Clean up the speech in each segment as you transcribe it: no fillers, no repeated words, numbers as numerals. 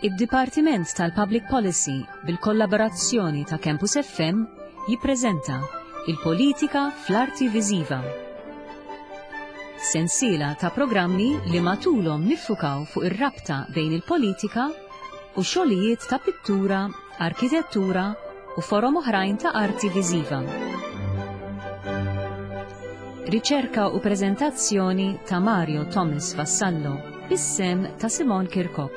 Id-Dipartiment tal-Public Policy bil-kollaborazzjoni ta' Campus FM jippreżenta Il-Politika fl-Arti Viżiva. Sensiela ta' programmi li matulhom niffukaw fuq ir-rabta bejn il-politika u xogħlijiet ta' pittura, arkitettura u forom oħrajn ta' arti viżiva. Riċerka u preżentazzjoni ta' Mario Thomas Vassallo bis-sehem ta' Simon Kirkop.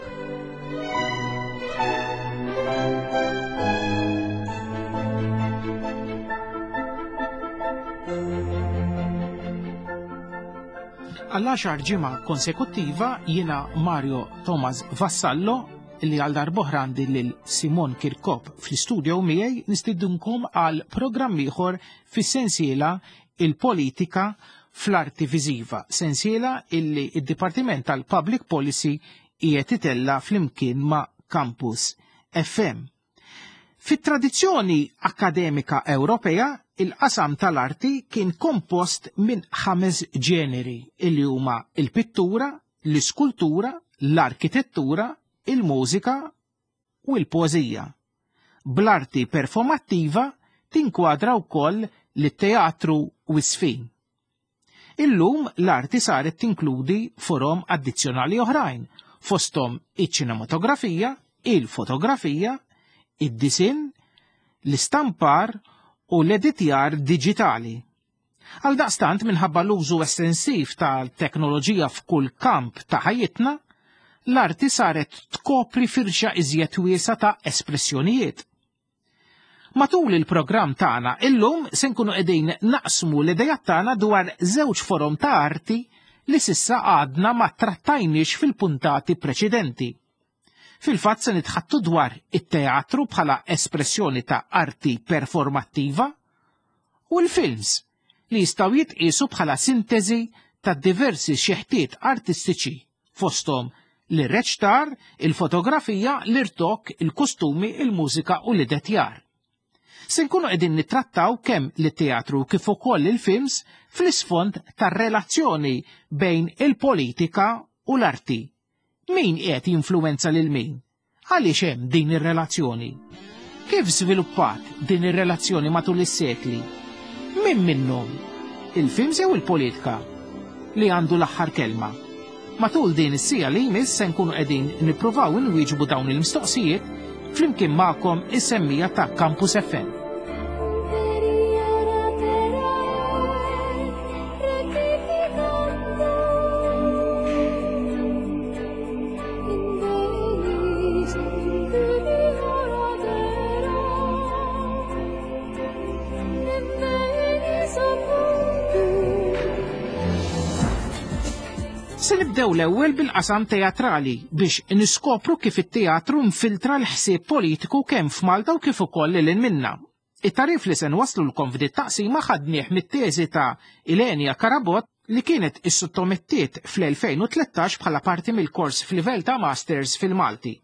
Għall-għaxar ġimgħa konsekuttiva jiena Mario Thomas Vassallo li għal darb'oħra għandi lil Simon Kirkop fl-istudio miegħi nistidunkom għal programm ieħor fis-sensiela il-politika fl-arti viżiva, sensiela illi id-Dipartiment tal-Public Policy qiegħed itella flimkien ma' Campus FM. Fit-tradizzjoni akkademika Ewropea, il-qasam tal-arti kien kompost minn ħames ġeneri illi huma il-pittura, l-iskultura, l-arkitettura, il-mużika u l-poeżija. Bl-arti performattiva tinkwadra wkoll lit-teatru u s-sfin. Illum l-arti saret tinkludi forom addizzjonali oħrajn, fosthom iċ-ċinematografija, il-fotografija, id-disinn, l-istampar u l-editjar diġitali. Għaldaqstant minħabba l-użu estensiv tal-teknoloġija f'kull kamp ta' ħajjitna, l-arti saret tkopri firxa iżjed wiesgħa ta' espressjonijiet. Matul il-programm tagħna illum se nkunu qegħdin naqsmu l-idejat tagħna dwar żewġ forom ta' arti li sissa għadna ma trattajniex fil-puntati preċedenti. Fil-fatt se nitħattu dwar it-teatru bħala espressjoni ta' arti performattiva u l-films li jistgħu jitqiesu bħala sintesi ta' diversi xeħtiet artistiċi fosthom l-irreċtar, il-fotografija, l-irtokk, il-kostumi, il-mużika u l-idetjar. Se nkunu qegħdin nittrattaw kemm lit-teatru kif ukoll il-films fl-isfond tar-relazzjoni bejn il-politika u l-arti. Min qiegħed jinfluwenza lil min? Għaliex hemm din ir-relazzjoni? Kif żviluppat din ir-relazzjoni matul is-sekli? Min minnhom? Il-films jew il-politika? Li għandu l-aħħar kelma? Matul din is-siegħa li jmiss se nkunu qegħdin nippruvaw inwieġbu dawn il-mistoqsijiet flimkien magħkom is-semmija ta' Campus FM. Se nibdew l-ewwel bil-qasam teatrali biex niskopru kif it-teatru nfiltra l-ħsieb politiku kemm f'Malta u kif ukoll lil minna. It-tagħrif li se nwasslulkom f'dit taqsima ħadnieh mit-teżi ta' Ilenia Carabott li kienet issottomettiet fl-2013 bħala parti mill-kors f'livell ta' Masters fil-Malti.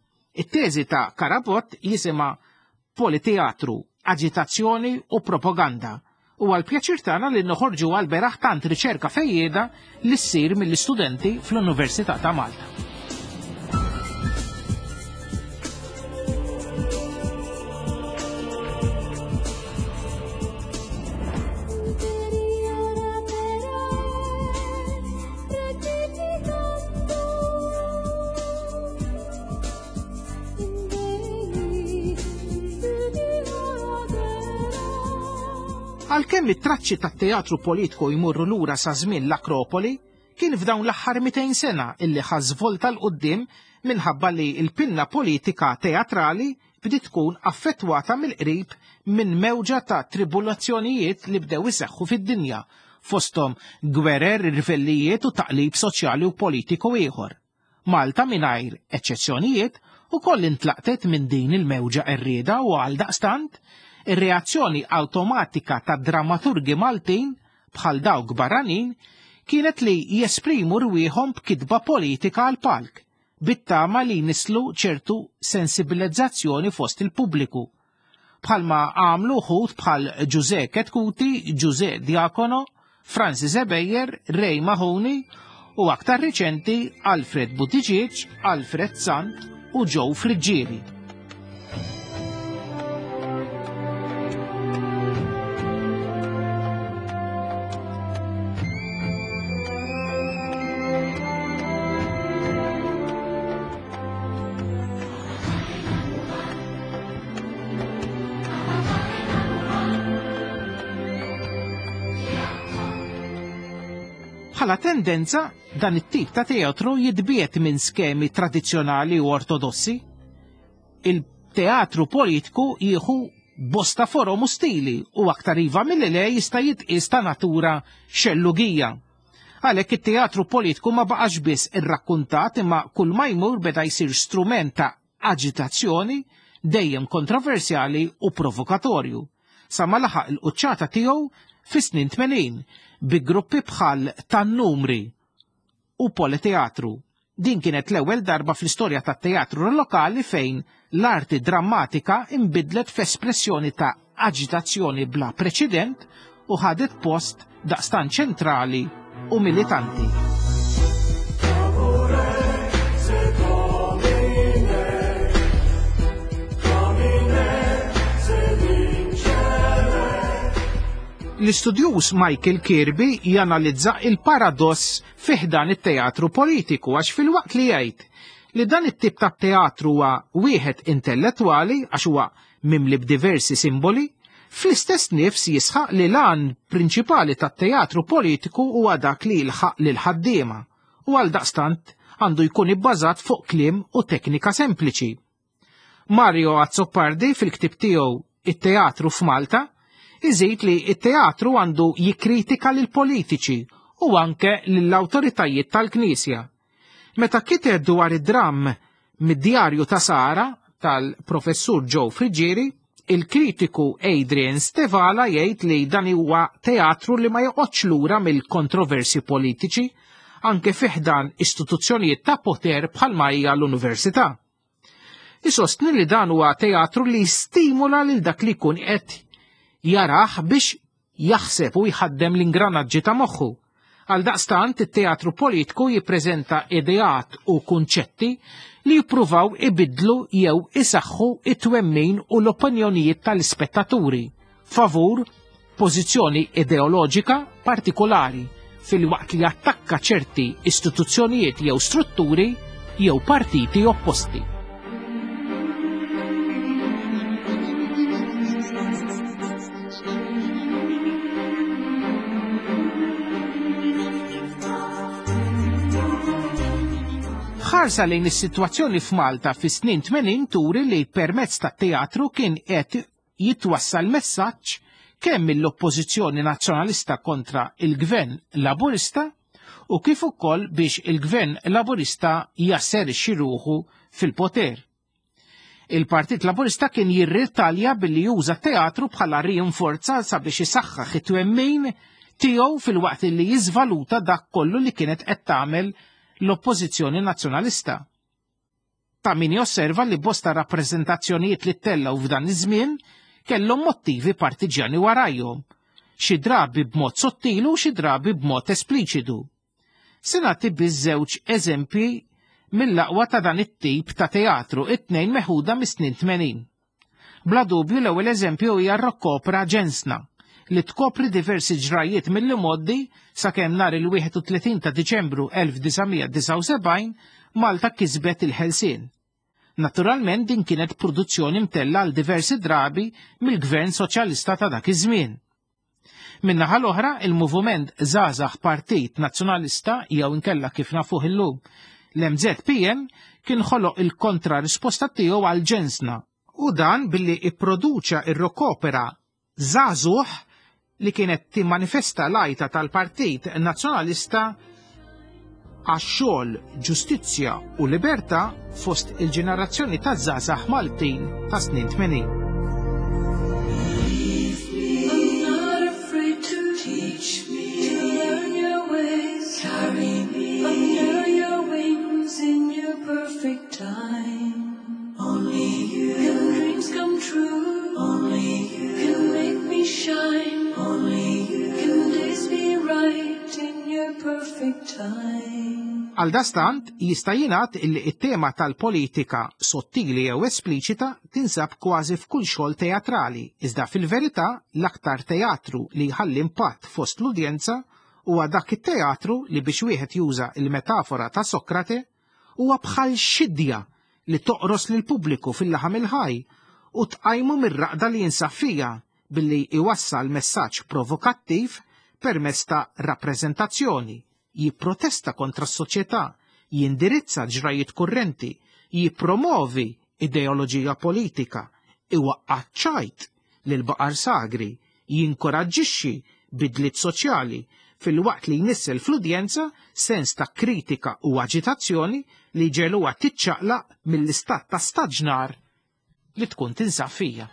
It-teżi ta' Carabott jisimha Politeatru, Aġitazzjoni u Propaganda. Huwa l-pjaċir tagħna li noħorġu għall-beraħ tant riċerka fejjieda li ssir mill-istudenti fl-Università ta' Malta. Għalkemm it-traċċi tat-teatru politiku jmorru lura sa żmien l-Akropoli, kien f'dawn l-aħħar 200 sena illi ħa żvolta 'l quddiem minħabba li l-pinna politika teatrali bdiet tkun affettwata mill-qrib minn mewġa ta' tribulazzjonijiet li bdew iseħħu fid-dinja, fosthom gwerer, irvellijiet u taqlib soċjali u politiku ieħor. Malta mingħajr eċċezzjonijiet ukoll intlaqtet minn din il-mewġa qerrieda u għaldaqstant, ir-reazzjoni awtomatika tad-drammaturgi Maltin, bħal dawk barranin, kienet li jesprimu rwieħhom b'kitba politika għall-palk, bit-tama li jnisslu ċertu sensibilizzazzjoni fost il-pubbliku. Bħalma għamlu wħud bħal Ġużè Chetcuti, Ġużè Diacono, Francis Ebejer, Ray Mahoney u aktar riċenti Alfred Buttigieg, Alfred Sant u Joe Friggieri. Bħala tendenza, dan it-tip ta' teatru jitbiet minn skemi tradizzjonali u ortodossi. Il-teatru politiku jieħu bosta forom u stili u aktar iva milli le jista' jitqies ta' natura xellugija. Għalhekk it-teatru politiku ma baqax biss irrakkuntat imma kull ma jmur beda jsir strument ta' aġitazzjoni dejjem kontroversjali u provokatorju, sa ma laħaq il-quċċata tiegħu fis-snin 80 bi gruppi bħal Tan-Numri u Politeatru. Din kienet l-ewwel darba fl-istorja tat-teatru lokali fejn l-arti drammatika inbidlet f'espressjoni ta' aġitazzjoni bla preċedent u ħadet post daqstant ċentrali u militanti. L-istudjuż Michael Kirby janalizza il-paradoss fi ħdan it-teatru politiku għax filwaqt li jgħid li dan it-tip ta' teatru huwa wieħed intellettwali għax huwa mimli b'diversi simboli, fl-istess nifs jisħaq li l-għan prinċipali tat-teatru politiku huwa dak li jilħaq lil ħaddiema u għaldaqstant għandu jkun ibbażat fuq kliem u teknika sempliċi. Mario Azzopardi fil-ktieb tiegħu It-Teatru f'Malta iżid li t-teatru għandu jikkritika lill-politiċi u anke lill-awtoritajiet tal-Knisja. Meta kiteb dwar id-dramm Mid-Djarju ta' Sara tal-Professur Joe Friggieri, il-kritiku Adrian Stevala jgħid li dan huwa teatru li ma joqgħodx lura mill-kontroversji politiċi anke fi ħdan istituzzjonijiet ta' poter bħalma hija l-università. Isostni li dan huwa teatru li jistimula lil dak li jkun qed jarah biex jaħseb u jħaddem l-ingranaġġi ta' moħħu. Għaldaqstant it-teatru politiku jippreżenta ideat u kunċetti li jippruvaw ibiddlu jew isaħħu it-twemmin u l-opinjonijiet tal-ispettaturi favur pożizzjoni ideoloġika partikolari filwaqt li jattakka ċerti istituzzjonijiet jew strutturi jew partiti opposti. Ħarsa lejn is-sitwazzjoni f'Malta fis-snin 80 turi li permezz tat-teatru kien qed jitwassal messaġġ kemm mill-Oppożizzjoni Nazzjonalista kontra il-Gvern Laburista u kif ukoll biex il-Gvern Laburista jasserixxi ruħu fil-poter. Il-Partit Laburista kien jirritalja billi juża teatru bħala rinforza sabiex isaħħaħ it-twemmin tiegħu filwaqt li jiżvaluta dak kollu li kienet qed tagħmel l-Oppożizzjoni Nazzjonalista. Ta' min josserva li bosta rappreżentazzjonijiet li ttellgħu f'dan iż-żmien kellhom mottivi partiġjani warajhom, xi drabi b'mod sottili u xi drabi b'mod espliċitu. Se nagħti biss żewġ eżempji mill-aqwa ta' dan it-tip ta' teatru, it-tnejn meħuda mis-snin 80. Bla dubju l-ewwel eżempju hija r-rock opera Ġensna, li tkopri diversi ġrajjiet mill-imgħoddi sakemm nhar il-31 ta' Diċembru 1979 Malta kisbet il-ħelsien. Naturalment din kienet produzzjoni mtellgħa għal diversi drabi mill-Gvern Soċjalista ta' dak iż-żmien. Min-naħa l-oħra, il-Moviment Żgħażagħ Partit Nazzjonalista jew inkella kif nafuh illum l-MZPN kien ħoloq il-kontra-risposta tiegħu għal ġensna, u dan billi ipproduċa r-rock opera Żagħżugħ li kienet timmanifesta l-għajta tal-Partit Nazzjonalista għax-xogħol, ġustizzja u libertà fost il-ġenerazzjoni ta' żgħażagħ Maltin ta' snin 80. Only you can days be right in your perfect time. Għaldastant, jista' jingħad illi t-tema tal-politika sottili jew espliċita tinsab kważi f'kull xogħol teatrali, iżda fil-verità l-aktar teatru li jħalli impatt fost l-udjenza huwa dak it-teatru li biex wieħed juża l-metafora ta' Sokrate huwa bħal xidja li toqros lill-pubbliku fil-laħam il-ħaj u tqajmu mir-raqda li jinsab fiha billi jwassal messaġġ provokattiv permezz ta' rappreżentazzjoni, jipprotesta kontra s-soċjetà, jindirizza ġrajiet kurrenti, jippromovi ideoloġija politika, iwaqqa' ċ-ċajt lill-baqar sagri, jinkoraġġixxi bidliet soċjali filwaqt li jnissel fl-udjenza sens ta' kritika u aġitazzjoni li jġegħluha tiċċaqlaq mill-istat ta' staġnar li tkun tinsab fija.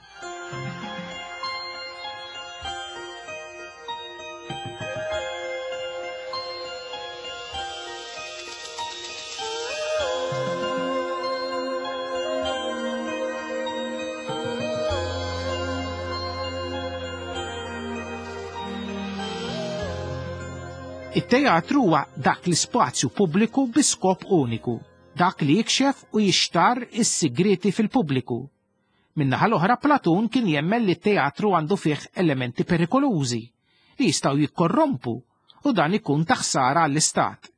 It-teatru huwa dak l-ispazju pubbliku bi skop uniku, dak li jikxef u jixtarr is-sigrieti fil-pubbliku. Min-naħa l-oħra Platun kien jemmen li t-teatru għandu fih elementi perikolużi li jistgħu jikkorrompu u dan ikun ta' ħsara għall-istat.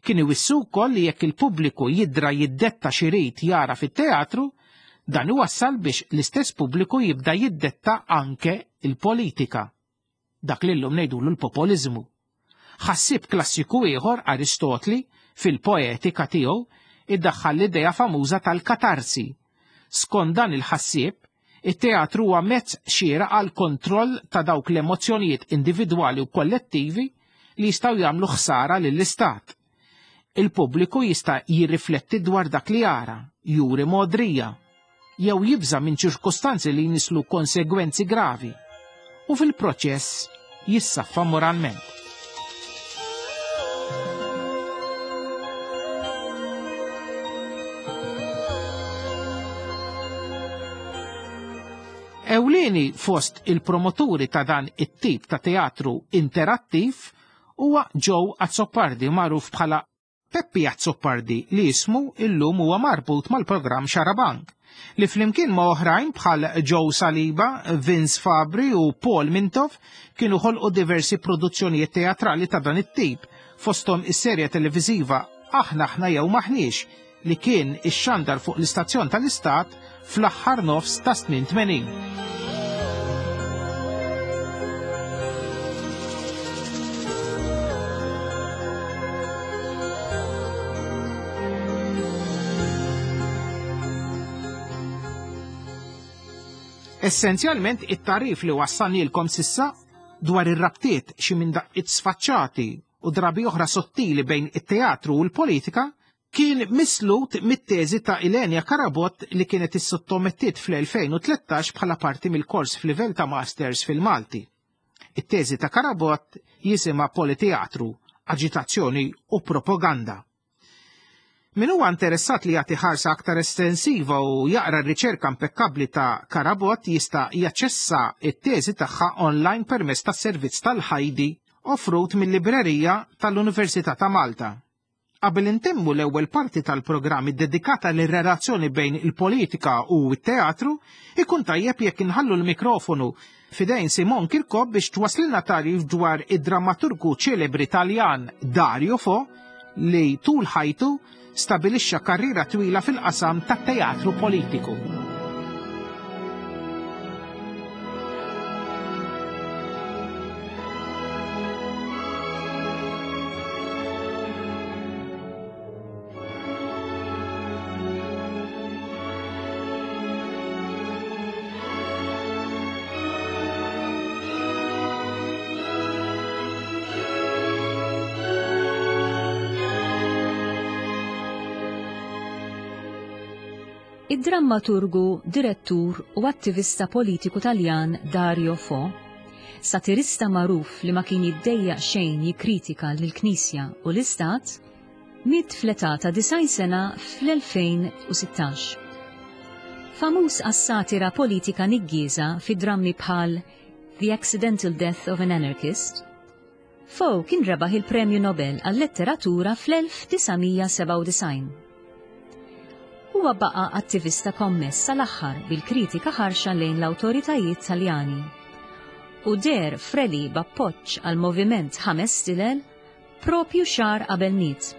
Kien iwissu wkoll li jekk il-pubbliku jidra jiddetta x'irid jara fit-teatru, dan iwassal biex l-istess pubbliku jibda jiddetta anke l-politika. Dak li llum ngħidulu l-popoliżmu. Ħassieb klassiku ieħor, Aristotli, fil-Poetika tiegħu, iddaħħal l-idea famuża tal-katarsi. Skont dan il-ħassieb, it-teatru huwa mezz xieraq għall-kontroll ta' dawk l-emozzjonijiet individwali u kollettivi li jistgħu jagħmlu ħsara lill-istat. Il-pubbliku jista' jirrifletti dwar dak li jara, juri mogħdrija, jew jibża' minn ċirkustanzi li jnisslu konsegwenzi gravi, u fil-proċess jissaffa moralment. Ewlieni fost il-promoturi ta' dan it-tip ta' teatru interattiv huwa Joe Azzopardi magħruf bħala Peppi Azzopardi li ismu illum huwa marbut mal-programm Xarabank, li flimkien ma' oħrajn bħal Joe Saliba, Vince Fabri u Paul Mintoff kienu ħolqu diversi produzzjonijiet teatrali ta' dan it-tip, fosthom is-serje televiżiva Aħna Aħna Jew M'Aħniex li kien ixxandar fuq l-istazzjon tal-Istat fl-aħħar nofs tas-snin 80. Essenzjalment it-tagħrif li wassalnielkom sissa dwar ir-rabtiet xi minn daqqiet sfaċċati u drabi oħra sottili bejn it-teatru u l-politika kien mislut mit-teżi ta' Ilenia Carabott li kienet issottomettiet fl-2013 bħala parti mill-kors f'livell ta' Masters fil-Malti. It-teżi ta' Carabott jisimha Politeatru, Aġitazzjoni u Propaganda. Min huwa interessat li jagħti ħarsa aktar estensiva u jaqra r-riċerka impekkabbli ta' Carabott jista' jaċċessa t-teżi tagħha online permezz tas-servizz tal-Ħajdi offrut mil-Librerija tal-Università ta' Malta. Qabel intemmu l-ewwel parti tal-programm iddedikata lir-relazzjoni bejn il-politika u t-teatru, ikun tajjeb jekk inħallu l-mikrofonu f'idejn Simon Kirkop biex twaslilna tagħrif dwar id-drammaturgu ċelebri Taljan Dario Fo li tul ħajtu stabilixxa karriera twila fil-qasam tat-teatru politiku. Id-drammaturgu, direttur u attivista politiku Taljan Dario Fo, satirista magħruf li ma kien jiddejjaq xejn jikkritika lill-Knisja u l-Istat, miet fl-età ta' 90 sena fl-2016. Famuż għas-satira politika niggieża fi drammi bħal The Accidental Death of an Anarchist, Fo kien rebaħ il-Premju Nobel għal-Letteratura fl-1997. Huwa baqa' attivista kommess sal-aħħar bil-kritika ħarxa lejn l-awtoritajiet Taljani. U deher f'rally b'appoġġ għall-Moviment Ħames Stilel propju xahar qabel miet.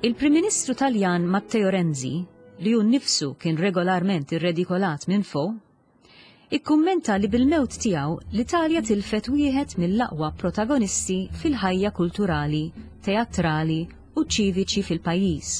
Il-Prim Ministru Taljan Matteo Renzi, li hu nnifsu kien regolarment irredikolat minn Fo, ikkummenta li bil-mewt tiegħu l-Italja tilfet wieħed mill-aqwa protagonisti fil-ħajja kulturali, teatrali u ċiviċi fil-pajjiż.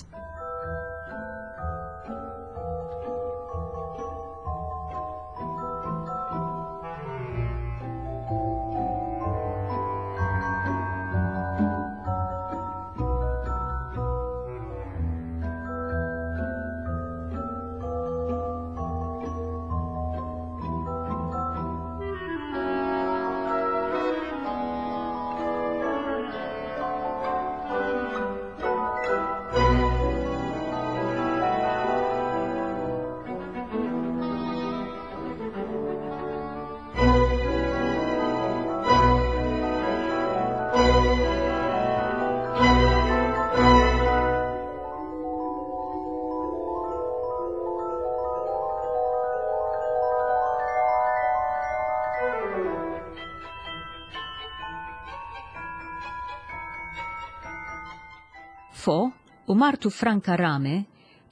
Fo u martu Franca Rame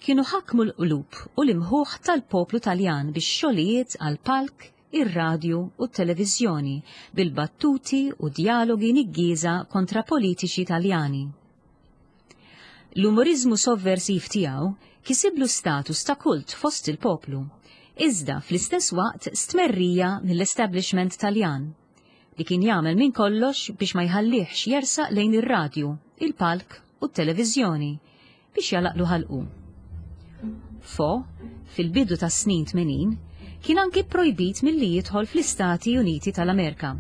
kienu ħakmu l-qlub u l-imħuħ tal-poplu Taljan bix-xogħlijiet għall-palk, ir-radju u t-televiżjoni bil-battuti u djalogi niggieża kontra politiċi Taljani. L-umoriżmu sovversiv tiegħu kisiblu status ta' kult fost il-poplu, iżda fl-istess waqt stmerrija mill-establishment Taljan, li kien jagħmel minn kollox biex ma jħallihx jersaq lejn ir-radju, il-palk u t-televiżjoni biex jagħlaqlu ħalqu. Fo, fil-bidu tas-snin 80, kien anki pprojbit milli jidħol fl-Istati Uniti tal-Amerika.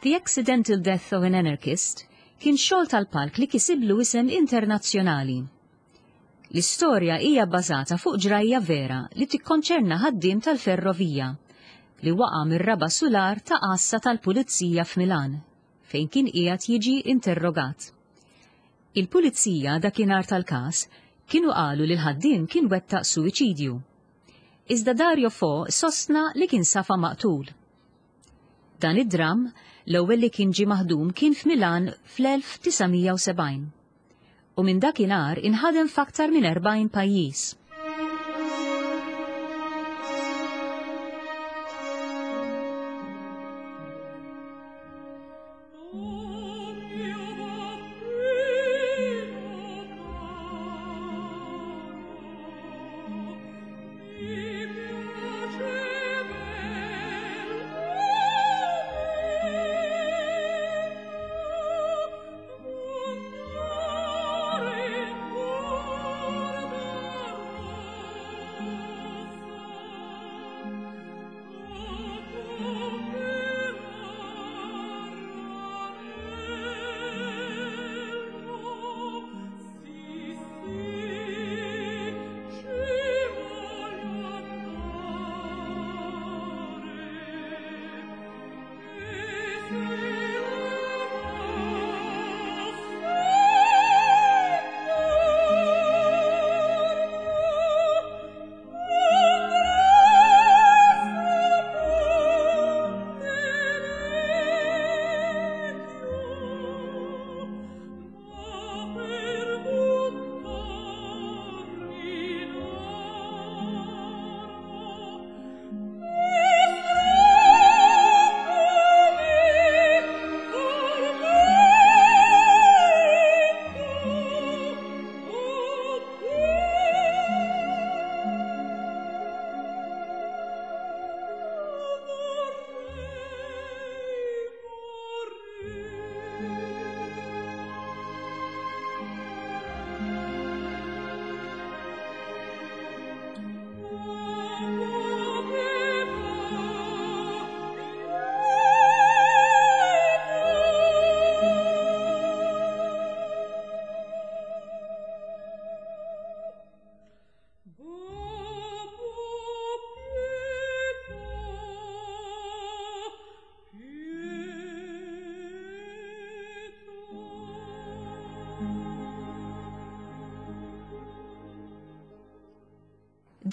The Accidental Death of an Anarchist kien xogħol tal-palk li kisiblu isem internazzjonali. L-istorja hija bbażata fuq ġrajja vera li tikkonċerna ħaddiem tal-ferrovija li waqa' mir-raba' sular ta' għassa tal-pulizija f'Milan fejn kien qiegħed jiġi interrogat. Il-pulizija dakinhar tal-każ kienu qalu li l-ħaddiem kien wettaq suwiċidju. Iżda Dario Fo sostna li kien safa maqtul. Dan id-dramm, l-ewwel li kien ġie maħdum kien f'Milan fl-1970. U minn dakinhar inħadem f'aktar minn 40 pajjiż.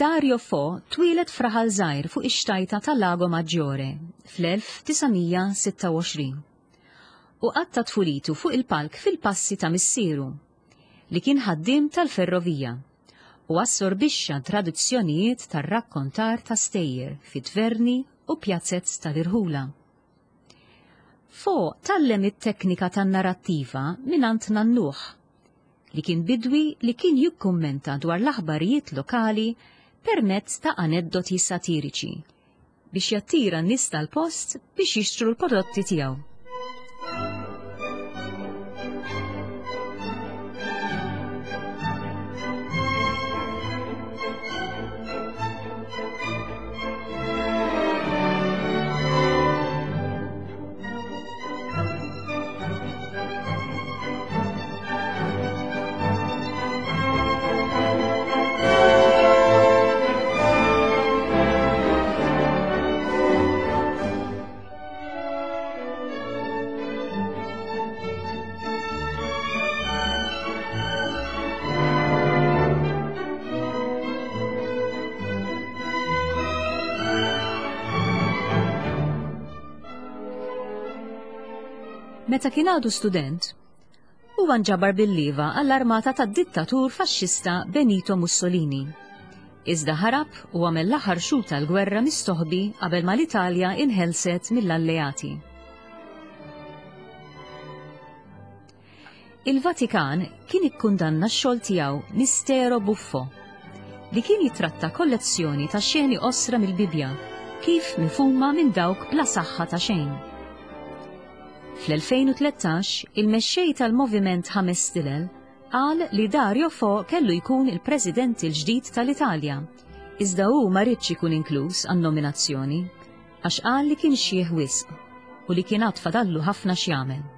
Dario Fo twieled f'raħal żgħir fuq ix-xtajta ta' Lago Maggiore fl-1926 u qatta' tfulitu fuq il-palk fil-passi ta' missieru, li kien ħaddiem tal-ferrovija, u assorbixxa tradizzjonijiet tar-rakkontar ta' stejjer fi tverni u pjazez tal-irħula. Fo tgħallem it-teknika tan-narattiva mingħand nannuh, li kien bidwi li kien jikkummenta dwar l-aħbarijiet lokali permezz ta' aneddoti satiriċi biex jattira n-nies tal-post biex jixtru l-prodotti tiegħu. Meta kien għadu student, huwa nġabar bil-lieva għall-armata tad-dittatur faxxista Benito Mussolini. Iżda ħarab u għamel l-aħħar xhur tal-gwerra mistoħbi qabel ma l-Italja inħelset mill-Alleati. Il-Vatikan kien ikkundanna x-xogħol tiegħu Mistero Buffo, li kien jitratta kollezzjoni ta' xeni qosra mill-Bibbja kif mifhuma minn dawk bla saħħa ta' xejn. Fl-2013, il-mexxej tal-Moviment Ħames Stilel qal li Dario Fo kellu jkun il-President il-ġdid tal-Italja, iżda hu ma riedx ikun inkluż għan-nominazzjoni. Għax qal li kien xiħ wisq u li kien għad fadallu ħafna x'jagħmel.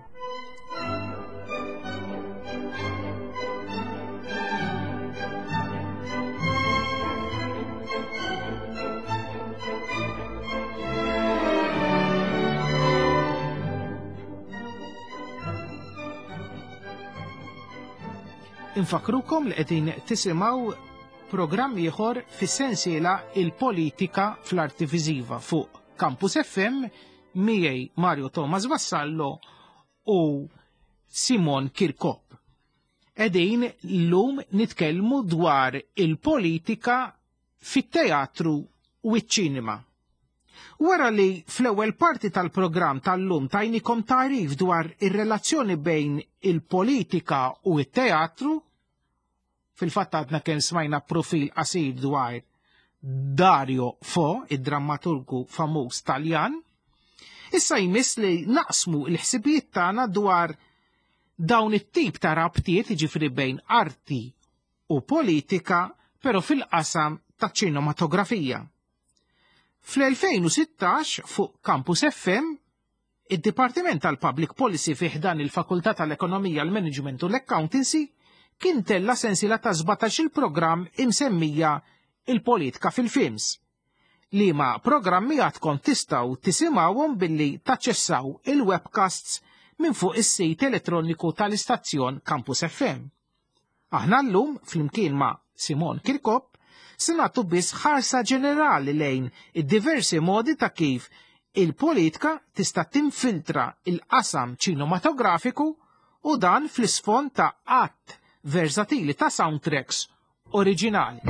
Infakrukom li qegħdin tisimgħu Programm ieħor fis-sensiela Il-Politika fl-Arti Viżiva fuq Campus FM miegħi Mario Thomas Vassallo u Simon Kirkop. Qegħdin llum nitkellmu dwar il-politika fit-teatru u ċ-ċinema. Wara li fl-ewwel parti tal-programm tal-lum tajnikom tagħrif dwar ir-relazzjoni bejn il-politika u t-teatru, Fil-fatt għadna kemm smajna profil qasir dwar Dario Fo, id-drammaturgu famuż Taljan. Issa jmiss li naqsmu l-ħsibijiet tagħna dwar dawn it-tip ta' rabtiet jiġifieri bejn arti u politika, però fil-qasam ta' ċinematografija. Fl-2016 fuq Campus FM Id-Dipartiment tal-Public Policy fi ħdan il-Fakultà tal-Ekonomija, l-Management u l-Accountancy kien tella' sensiela ta' 17-il programm imsemmija Il-Politika fil-Films, liema programmi għadkom tistgħu tisimgħuhom billi taċċessaw il-webcasts minn fuq is-sit elettroniku tal-istazzjon Campus FM. Aħna llum, flimkien ma' Simon Kirkop, se nagħtu biss ħarsa ġenerali lejn id-diversi modi ta' kif il-politika tista' tinfiltra l-qasam ċinematografiku u dan fl-isfond ta' għadd versatili ta' soundtracks oriġinali.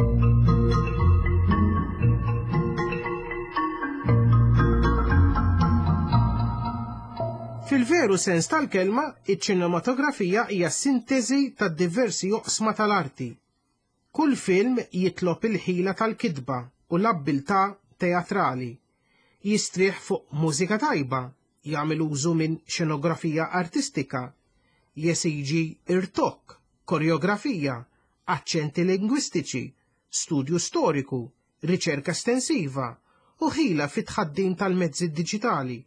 Fil-veru sens tal-kelma, iċ-ċinematografija hija sinteżi ta' diversi oqsma tal-arti. Kull film jitlob il-ħila tal-kitba u l-abbiltà teatrali. Jistrieħ fuq mużika tajba, jagħmel użu minn xenografija artistika, jesiġi irtokk, koreografija, aċċenti lingwistiċi, studju storiku, riċerka estensiva, u ħila fit-tħaddim tal-mezzi diġitali,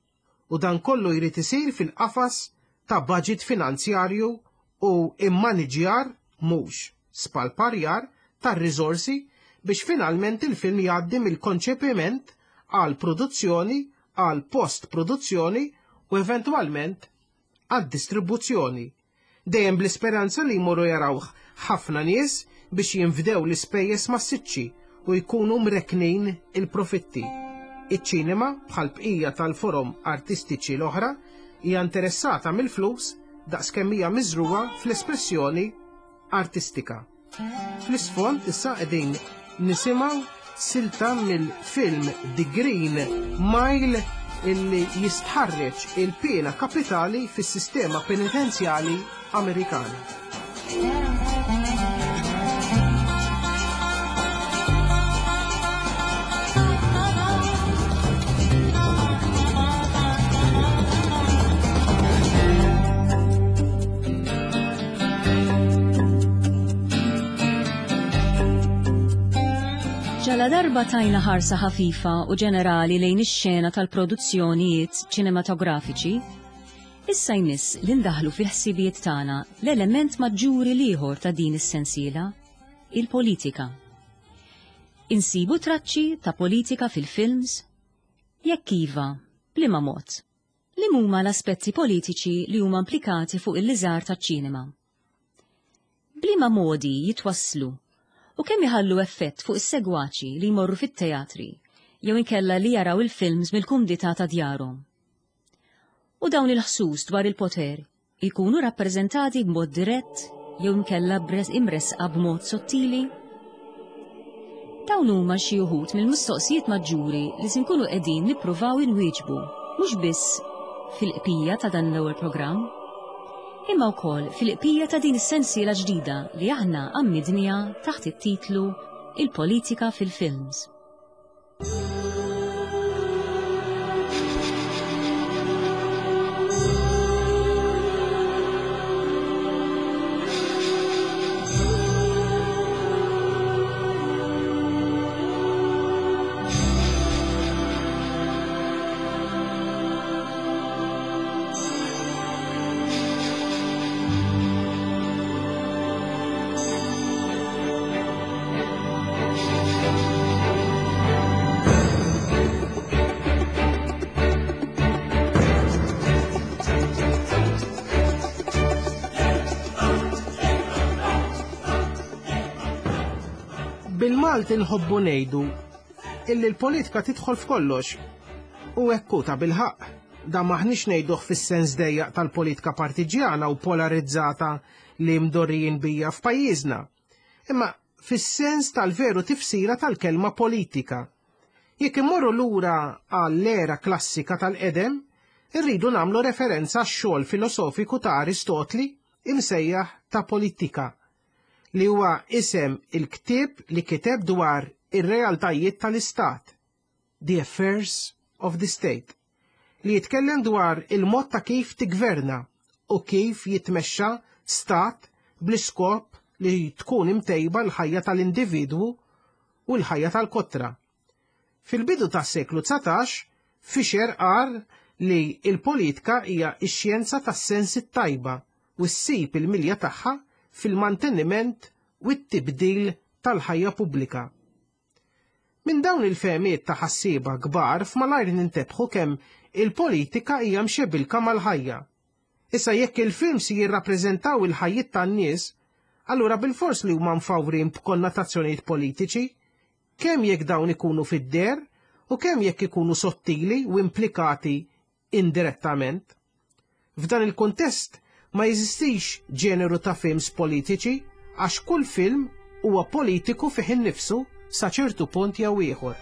u dan kollu jrid isir fil-qafas ta' baġit finanzjarju u immaniġjar, mhux spalparjar, tar-riżorsi biex finalment il-film jgħaddi mill-konċepiment għall-produzzjoni, għall-post-produzzjoni u eventwalment għad-distribuzzjoni. Dejjem bl-isperanza li jmorru jarawh ħafna nies biex jinfdew l-ispejjeż massiċċi u jkunu mrekknin il-profitti. Iċ-ċinema, bħal bqija tal-forom artistiċi l-oħra, hija interessata mill-flus daqskemm hija miżrugħa fl-espressjoni artistika. Fl-isfond issa qegħdin nisimgħu silta mill-film The Green Mile illi jistħarreġ il-piena kapitali fis-sistema penitenzjali Amerikana. Ġala darba tajna ħarsa ħafifa u ġenerali lejn ix-xena tal-produzzjonijiet ċinematografiċi, issa jmiss li ndaħlu fil-ħsibijiet tagħna l-element maġġuri l-ieħor ta' din is-sensiela, il-politika. Insibu traċċi ta' politika fil-films? Jekk iva, b'liema mod? Liem huma l-aspetti politiċi li huma implikati fuq il-liżar taċ-ċinema? B'liema modi jitwasslu u kemm iħallu effett fuq is-segwaċi li jmorru fit-teatri jew inkella li jaraw il-films mill-kumdità ta' djarhom? U dawn il-ħsus dwar il-poter jkunu rappreżentati b'mod dirett jew inkella imressqa b'mod sottili? Dawn huma xi wħud mill-mistoqsijiet maġġuri li se nkunu qegħdin nippruvaw inwieġbu mhux biss fil-qpija ta' dan l-ewwel programm, imma wkoll fil-qpija ta' din is-sensiela ġdida li aħna għammidniha taħt it-titlu Il-Politika fil-Films. Bil-Malti nħobbu ngħidu illi l-politika tidħol f'kollox u hekk hu tabilħaqq. Dan m'aħniex ngħiduh fis-sens dejjaq tal-politika partiġjana u polarizzata li mdorrijin bija f'pajjiżna, imma fis-sens tal-veru tifsira tal-kelma politika. Jekk immorru lura għall-era klassika tal-qedem, irridu nagħmlu referenza għax-xogħol filosofiku ta' Aristotli imsejjaħ ta' Politika, li huwa isem il-ktieb li kiteb dwar ir-realtajiet tal-istat, The Affairs of the State, li jitkellem dwar il-mod ta' kif tiggverna u kif jitmexxa stat bl-iskop li tkun imtejba l-ħajja tal-individwu u l-ħajja tal-kotra. Fil-bidu tas-seklu 19, Fisher qal li l-politika hija x-xjenza tas-sens it-tajba u ssib il-milja tagħha fil-manteniment u t-tibdil tal-ħajja pubblika. Minn dawn il-fehmiet ta' ħassieba kbar f'malajr nintebħu kemm il-politika hija mxebilka mal-ħajja. Issa jekk il-films jirrappreżentaw il-ħajjiet tan-nies, allura bilfors li huma mfawrin b'konnotazzjonijiet politiċi, kemm jekk dawn ikunu fid-deher u kemm jekk ikunu sottili u implikati indirettament. F'dan il-kuntest ma jeżistix ġeneru ta' films politiċi għax kull film huwa politiku fih innifsu sa ċertu punt jew ieħor.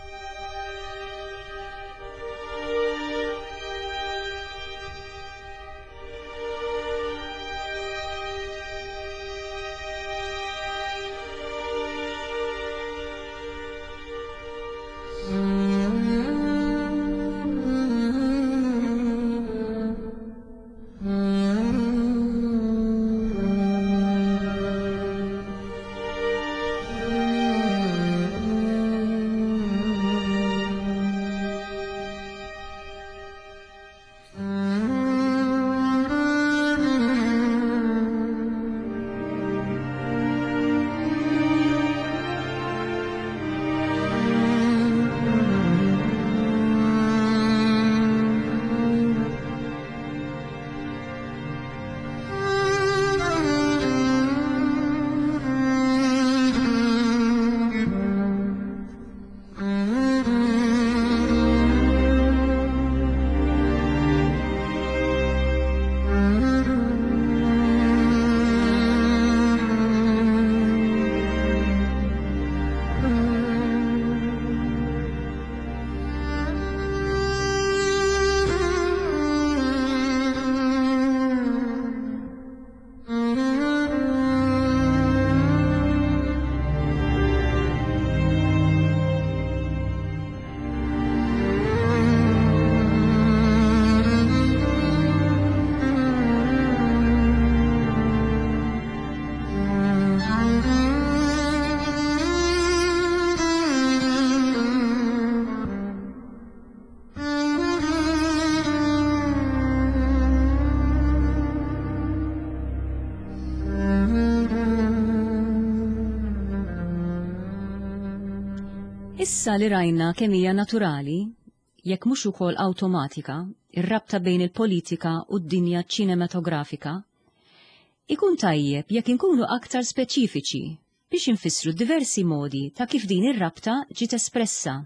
Issa li rajna kemm hija naturali, jekk mhux ukoll awtomatika, ir-rabta bejn il-politika u d-dinja ċinematografika, ikun tajjeb jekk inkunu aktar speċifiċi biex infissru diversi modi ta' kif din ir-rabta ġiet espressa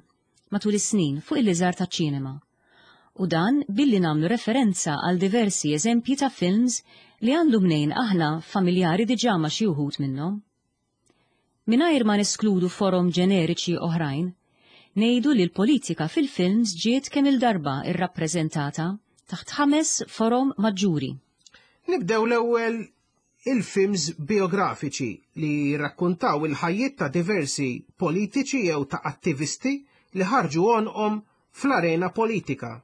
matul is-snin fuq il-liżar taċ-ċinema, u dan billi nagħmlu referenza għal diversi eżempji ta' films li għandu mnejn aħna familjari diġà ma' xi wħud minnhom. Mingħajr ma neskludu forom ġeneriċi oħrajn, ngħidu li l-politika fil-films ġiet kemm-il darba rrappreżentata taħt ħames forom maġġuri. Nibdew l-ewwel il-films biografiċi li jirrakkuntaw il-ħajjiet ta' diversi politiċi jew ta' attivisti li ħarġu għonqhom fl-arena politika.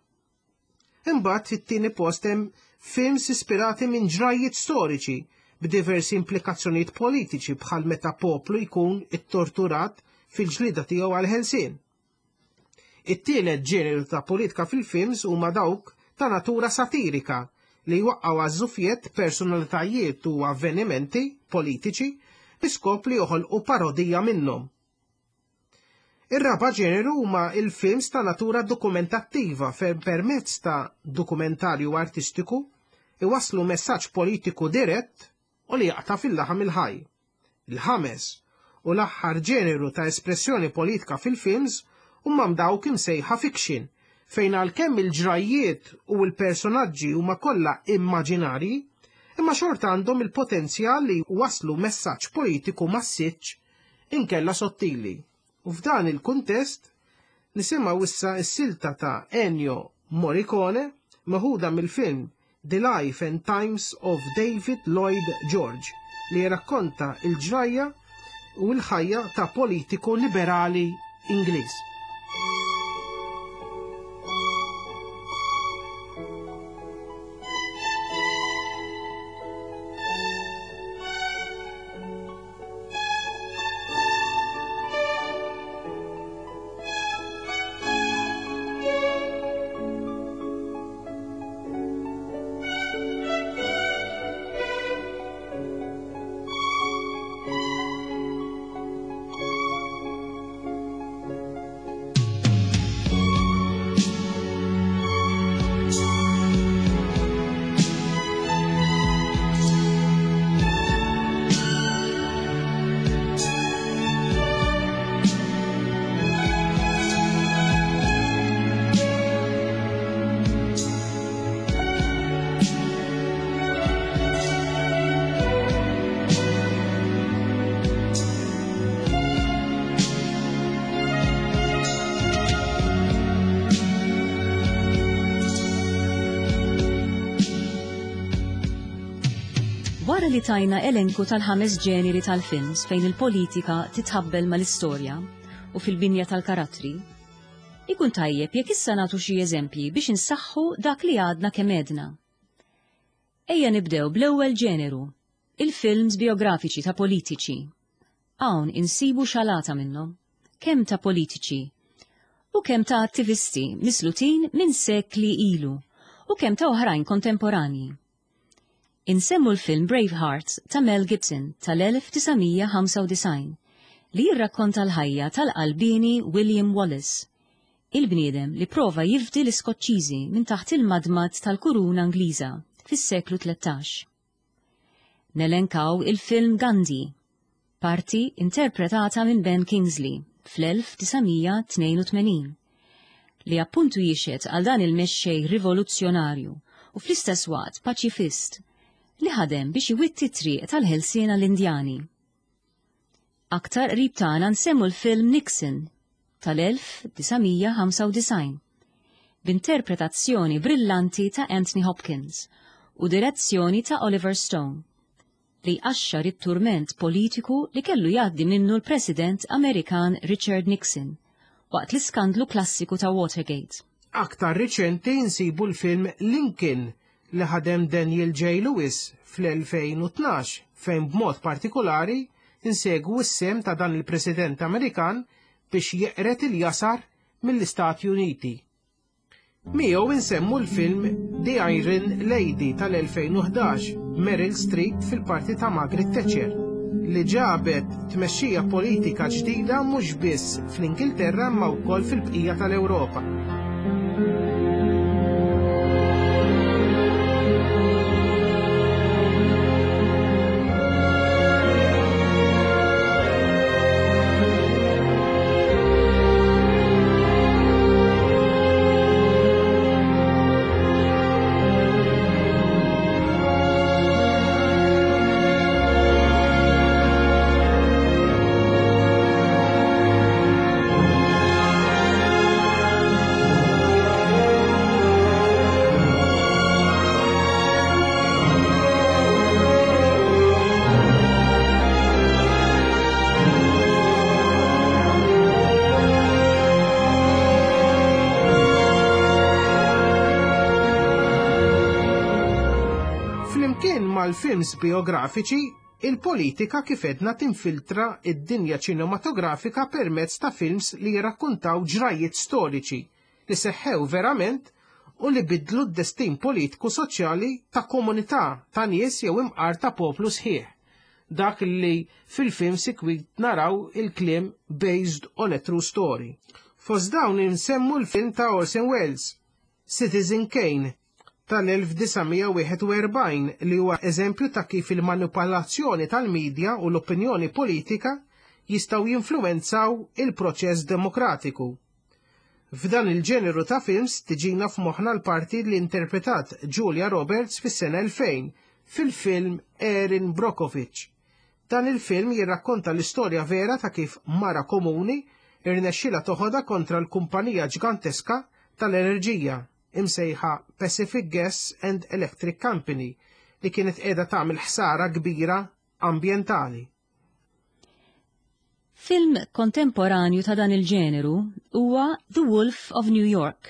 Imbagħad fit-tieni post hemm films ispirati minn ġrajjiet storiċi b'diversi implikazzjonijiet politiċi bħal meta poplu jkun ittorturat fil-ġlieda tiegħu għall-ħelsien. It-tielet ġeneru ta' politika fil-films huma dawk ta' natura satirika li jwaqqgħu għaż-żufjett personalitajiet u avvenimenti politiċi bi skop li joħolqu parodija minnhom. Ir-raba' ġeneru huma l-films ta' natura dokumentattiva fejn permezz ta' dokumentarju artistiku iwasslu messaġġ politiku dirett u li jaqta' fil-laħam il-ħaj. Il-ħames u l-aħħar ġeneru ta' espressjoni politika fil-films huma dawk imsejħa fiction fejn għalkemm il-ġrajjiet u l-personaġġi huma kollha immaġinarji, imma xorta għandhom il-potenzjal li jwasslu messaġġ politiku massiċċ inkella sottili. U f'dan il-kuntest nisimgħu issa s-silta ta' Ennio Morricone meħuda mill-film The Life and Times of David Lloyd George li jirrakkonta l-ġrajja u l-ħajja ta' politiku liberali Ingliż. Wara li tajna elenku tal-ħames ġeneri tal-films fejn il-politika titħabbel mal-istorja u fil-binja tal-karattri, ikun tajjeb jekk issa nagħtu xi eżempji biex insaħħu dak li għadna kemm għedna. Ejja nibdew bl-ewwel ġeneru, il-films biografiċi ta' politiċi. Hawn insibu xalata minnhom, kemm ta' politiċi u kemm ta' attivisti mislutin minn sekli ilu u kemm ta' oħrajn kontemporanji. Insemmu l-film Braveheart ta' Mel Gibson tal-1995 li jirrakkonta l-ħajja tal-qalbieni William Wallace, il-bniedem li prova jifdi l-Iskoċċiżi minn taħt il-madmad tal-kuruna Ingliża fis-seklu 13. Nelenkaw il-film Gandhi, parti interpretata minn Ben Kingsley fl-1982, li appuntu jixhed għal dan il-mexxej rivoluzzjonarju u fl-istess waqt paċifist li ħadem biex iwitti t-triq tal-ħelsien għall-Indjani. Aktar qrib tagħna nsemmu l-film Nixon tal-1995 b'interpretazzjoni brillanti ta' Anthony Hopkins u direzzjoni ta' Oliver Stone li jqaxxar it-turment politiku li kellu jgħaddi minnu l-President Amerikan Richard Nixon waqt l-iskandlu klassiku ta' Watergate. Aktar riċenti nsibu l-film Lincoln li ħadem Daniel J. Lewis fl-2012 fejn b'mod partikolari nsegwu s-sehem ta' dan il-President Amerikan biex jeqred il-jasar mill-Istati Uniti. Miegħu insemmu l-film The Iron Lady tal-2011 b'Meryl Streep fil-parti ta' Margaret Thatcher. li ġabet tmexxija politika ġdida mhux biss fl-Ingilterra imma wkoll fil-bqija tal-Ewropa. Flimkien mal-films biografiċi, il-politika kif edna tinfiltra id-dinja ċinematografika permezz ta' films li jirrakkuntaw ġrajiet storiċi li seħħew verament u li bidlu d-destin politiku soċjali ta' komunità ta' nies jew imqar ta' poplu sħiħ. Dak li fil-film sikwit naraw il-kliem based on a true story. Fost dawn insemmu l-film ta' Orson Welles, Citizen Kane, tal-1941 li huwa eżempju ta' kif il-manipolazzjoni tal-medja u l-opinjoni politika jistgħu jinfluwenzaw il-proċess demokratiku. F'dan il-ġeneru ta' films tiġina f'moħħna l-parti li interpretat Julia Roberts fis-sena 2000 fil-film Erin Brockovich. Dan il-film jirrakkonta l-istorja vera ta' kif mara komuni irnexxila toħodha kontra l-kumpanija ġganteska tal-enerġija imsejħa Pacific Gas and Electric Company li kienet qiegħda tagħmel ħsara kbira ambjentali. Film kontemporanju ta' dan il-ġeneru huwa The Wolf of New York,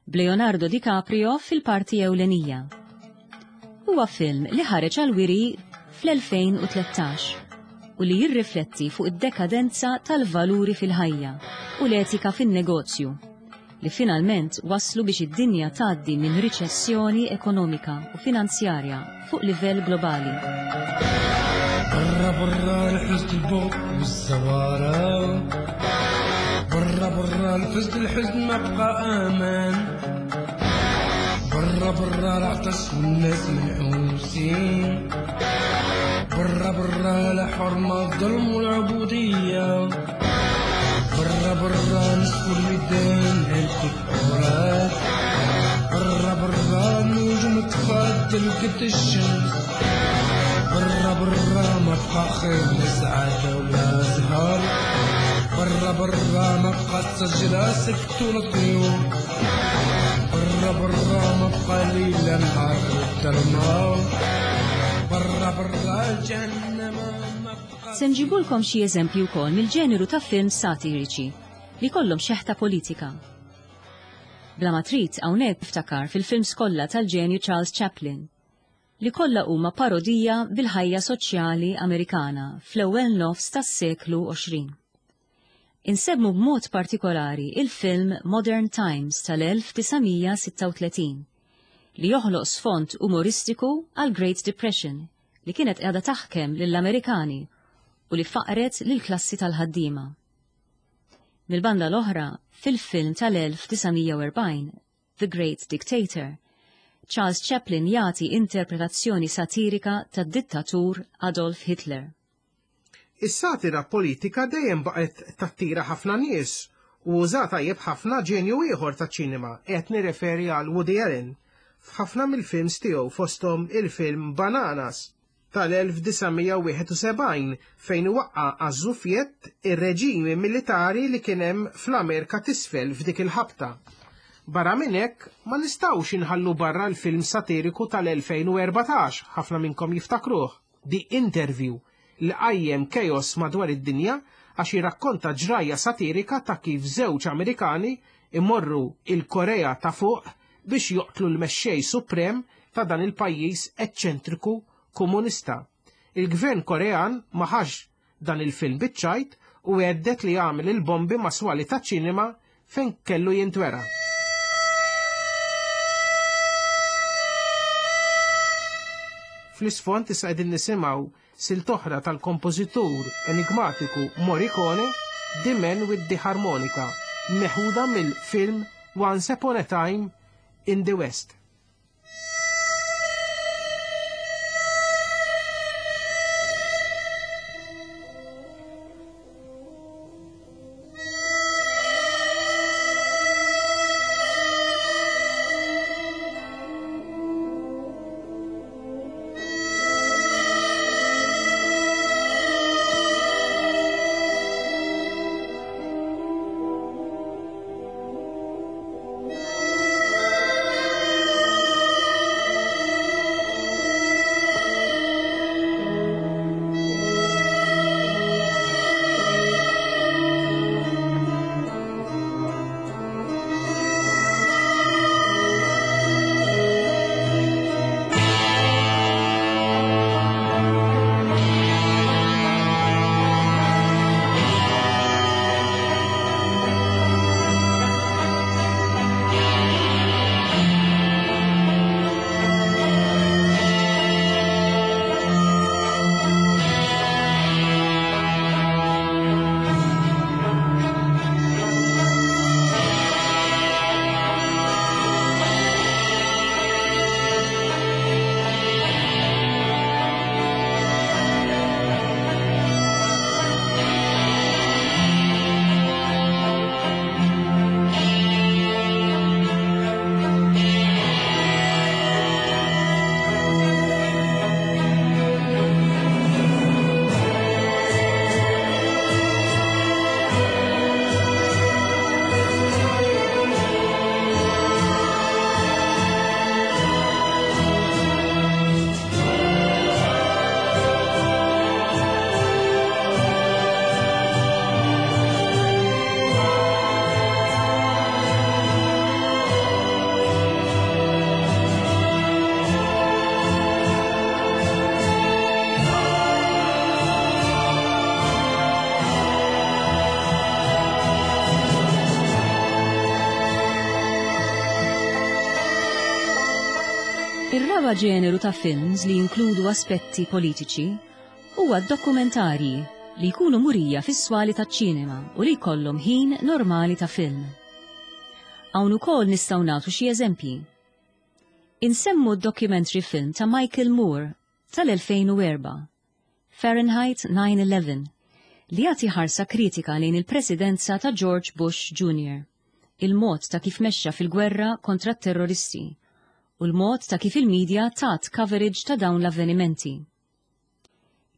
b'Leonardo DiCaprio fil-parti ewlenija. Huwa film li ħareġ għal-wiri fl-2013 u li jirrifletti fuq id-dekadenza tal-valuri fil-ħajja u l-etika fin-negozju li finalment wasslu biex id-dinja tgħaddi minn riċessjoni ekonomika u finanzjarja fuq livell globali. برا برا الحزن البوق والزوارة برا برا الفزد الحزن ما بقى امان برا برا العطش والناس منحوسين برا برا لا حرمة الظلم والعبودية برا برا نصف الميدان هلكت عراك برا برا النجوم تفضل قد الشمس برا برا ما بقى خير لا سعادة ولا زهر برا برا ما بقى الشجرة سكت ولا طيور برا برا ما بقى ليلة نهار والظلمة برا برا جهنم ما بقى Se nġibulkom xi eżempji wkoll mill-ġeneru ta' films satiriċi li kollhom xeħta politika. Bla ma trid hawnhekk niftakar fil-films kollha tal-ġenju Charles Chaplin li kollha huma parodija bil-ħajja soċjali Amerikana fl-ewwel nofs tas-seklu 20. Insemmu b'mod partikolari il-film Modern Times tal-1936 li joħloq sfond umoristiku għal Great Depression li kienet qiegħda taħkem lill-Amerikani u li faqret lill-klassi tal-ħaddiema. Mill-banda l-oħra, fil-film tal-1940, The Great Dictator, Charles Chaplin jagħti interpretazzjoni satirika tad-dittatur Adolf Hitler. Is-satira politika dejjem baqgħet tattira ħafna nies u uża tajjeb ħafna ġenju ieħor taċ-ċinema, qed nirreferi għal Woody Allen f'ħafna mill-films tiegħu fosthom il-film Bananas tal-1971 fejn waqqa għaż-żufjett ir-reġimi militari li kien hemm fl-Amerika t'isfel f'dik il-ħabta. Barra minn hekk ma nistgħux inħallu barra l-film satiriku tal-2014, ħafna minnkom jiftakruh, The Interview, li qajjem chaos madwar id-dinja għax jirrakkonta ġrajja satirika ta' kif żewġ Amerikani imorru il-Korea ta' fuq biex joqtlu l-mexxej suprem ta' dan il-pajjiż eċċentriku komunista. Il-gvern Korean ma ħax dan il-film biċ-ċajt u għeddet li jagħmel il-bombi ma' swali ta' ċinema fejn kellu jintwera. Fl-isfond issa qegħdin nisimgħu Silt oħra tal-kompożitur enigmatiku Morricone, The Man with the Harmonica, meħuda mill-film Once Upon a Time in the West. Ir-raba' ġeneru ta' films li jinkludu aspetti politiċi huwa d-dokumentarji li jkunu murija fis-swali taċ-ċinema u li jkollhom ħin normali ta' film. Hawn ukoll nistgħu nagħtu xi eżempji. Insemmu d-documentary film ta' Michael Moore tal-2004, Fahrenheit 9/11, li jagħti ħarsa kritika lejn il-presidenza ta' George Bush Jr., il-mod ta' kif mexxa fil-gwerra kontra t-terroristi u l-mod ta' kif il-media tat coverage ta' dawn l-avvenimenti.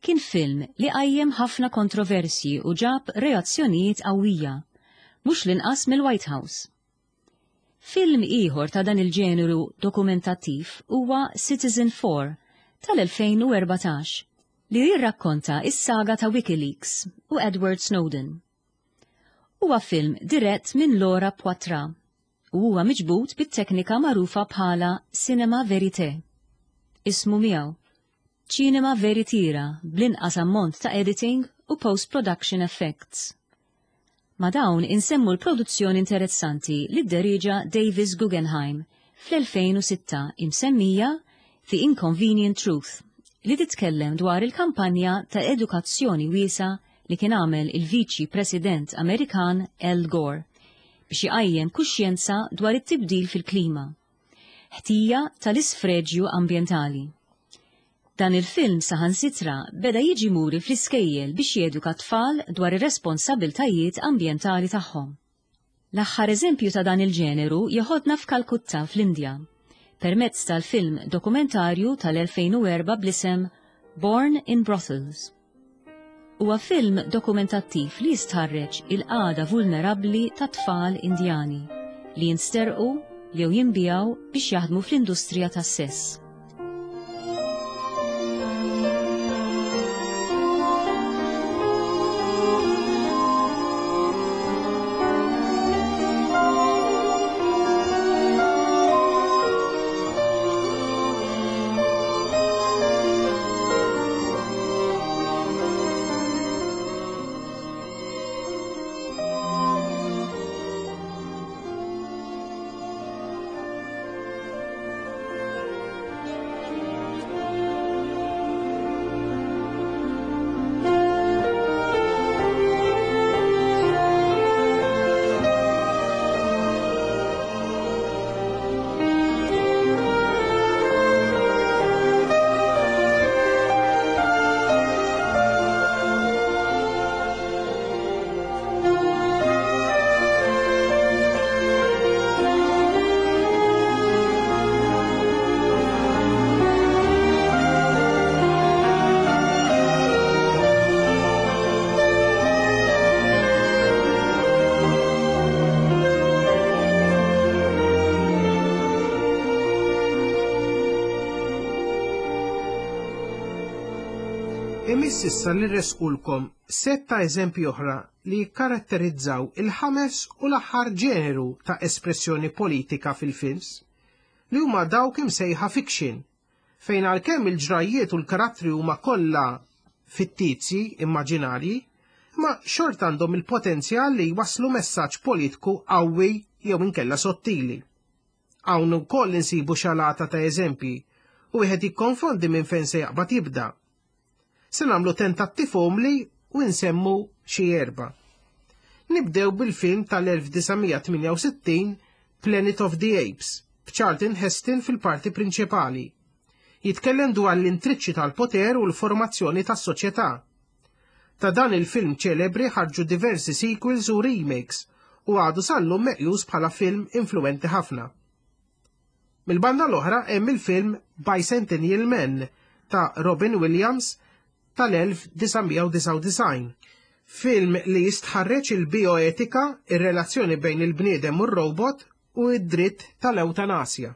Kien film li qajjem ħafna kontroversji u ġab reazzjonijiet qawwija, mhux l-inqas mill-White House. Film ieħor ta' dan il-ġeneru dokumentattiv huwa Citizen 4 tal-2014 li jirrakkonta s-saga ta' WikiLeaks u Edward Snowden. Huwa film dirett minn Laura Poitras u huwa miġbud bit-teknika magħrufa bħala cinema verité. Ismu miegħu. Ċinema veritiera bl-inqas ammont ta' editing u post-production effects. Ma' dawn insemmu l-produzzjoni interessanti li dderieġa Davis Guggenheim fl-2006 imsemmija The Inconvenient Truth li titkellem dwar il-kampanja ta' edukazzjoni wiesgħa li kien għamel il-Viċi President Amerikan Al Gore biex iqajjem kuxjenza dwar it-tibdil fil-klima, ħtija tal-isfreġju ambjentali. Dan il-film saħansitra beda jiġi muri fl-iskejjel biex jeduka t-tfal dwar ir-responsabbiltajiet ambjentali tagħhom. L-aħħar eżempju ta' dan il-ġeneru jeħodna f'Kalkutta fl-Indja, permezz tal-film dokumentarju tal-2004 bl-isem Born in Brothels. Huwa film dokumentattiv li jistħarreġ il-qagħda vulnerabbli ta' tfal Indjani li jinsterqu jew jinbiegħu biex jaħdmu fl-industrija tas-sess. Imiss issa li nressqulkom sett ta' eżempji oħra li jikkaratterizzaw il-ħames u l-aħħar ġeneru ta' espressjoni politika fil-films, li huma dawk imsejħa fiction, fejn għalkemm il-ġrajjiet u l-karattri huma kollha fittizji, immaġinarji, imma xorta għandhom il-potenzjal li jwasslu messaġġ politku qawwi jew inkella sottili. Hawn ukoll insibu xalata ta' eżempji u wieħed jikkonfondi minn fejn se jaqbad jibda. Se nagħmlu tentattiv umli u nsemmu xi erba'. Nibdew bil-film tal-1968 Planet of the Apes, b'Charlton Heston fil-parti prinċipali. Jitkellem dwar l-intriċċi tal-poter u l-formazzjoni tas-soċjetà. Ta' dan il-film ċelebri ħarġu diversi sequels u remakes u għadu sal-lum meqjus bħala film influwenti ħafna. Mill-banda l-oħra hemm il-film Bicentennial Man ta' Robin Williams tal-1999. Film li jistħarreġ il-bioetika, ir-relazzjoni bejn il-bniedem u r-robot u d-dritt tal-ewtanasja.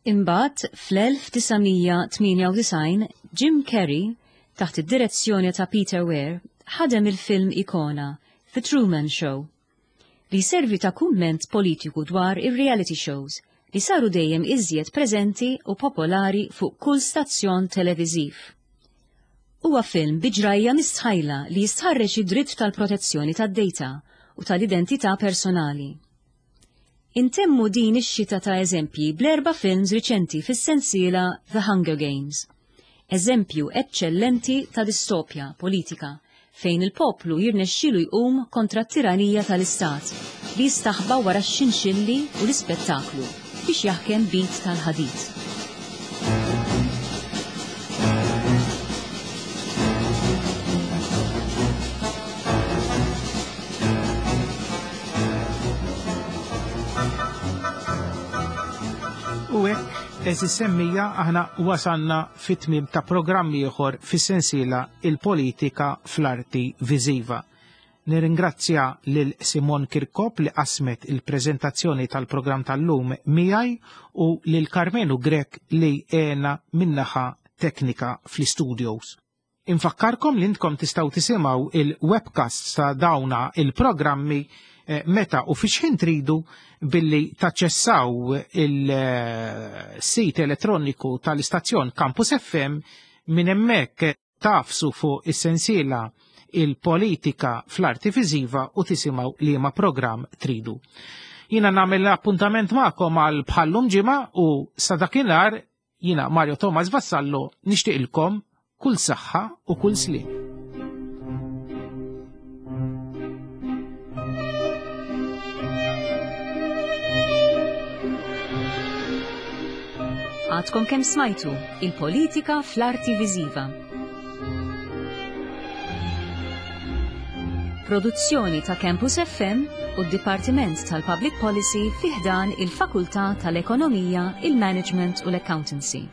Imbagħad fl-1998 Jim Carrey, taħt id-direzzjoni ta' Peter Weir, ħadem il-film ikona The Truman Show li jservi ta' kumment politiku dwar ir-reality shows li saru dejjem iżjed preżenti u popolari fuq kull stazzjon televiżiv. Huwa film bi ġrajja mistħajla li jistħarreġ id-dritt tal-protezzjoni tad-data u tal-identità personali. Intemmu din ix-xita ta' eżempji bl-erba' films riċenti fis-sensiela The Hunger Games. Eżempju eċċellenti ta' distopja politika fejn il-poplu jirnexxielu jqum kontra t-tiranija tal-istat li jistaħba wara x-xinxilli u l-ispettaklu biex jaħkem b'id tal-ħadid. U hekk, eżis semmija, aħna wasanna fit-tmiem ta' programm ieħor fis-sensiela Il-Politika fl-Arti Viżiva. Nirringrazzja lil Simon Kirkop li qasmet il-preżentazzjoni tal-programm tal-lum miegħi u lil Karmenu Grech li għena min-naħa teknika fl-istudios. Infakkarkom li intkom tistgħu tisimgħu il-webcasts ta' dawna il-programmi eh, meta u fi xħin tridu billi taċċessaw il-sit elettroniku tal-istazzjon Campus FM minn hemmhekk tafsu fuq is-sensiela il-politika fl-arti viżiva u tisimgħu liema programm tridu. Jina nagħmel appuntament magħkom għal bħallum ġimgħa u sa dakinhar Jiena Mario Thomas Vassallo nixtieqilkom kull saħħa u kull sliem. Għadkom kemm smajtu il-politika fl-arti viżiva. Produzzjoni ta' Campus FM u d-Dipartiment tal-Public Policy fi ħdan il-Fakultà tal-Ekonomija, il-Management u l-Accountancy.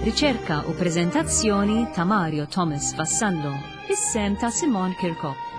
Riċerka u preżentazzjoni ta' Mario Thomas Vassallo, is-sem ta' Simon Kirkop.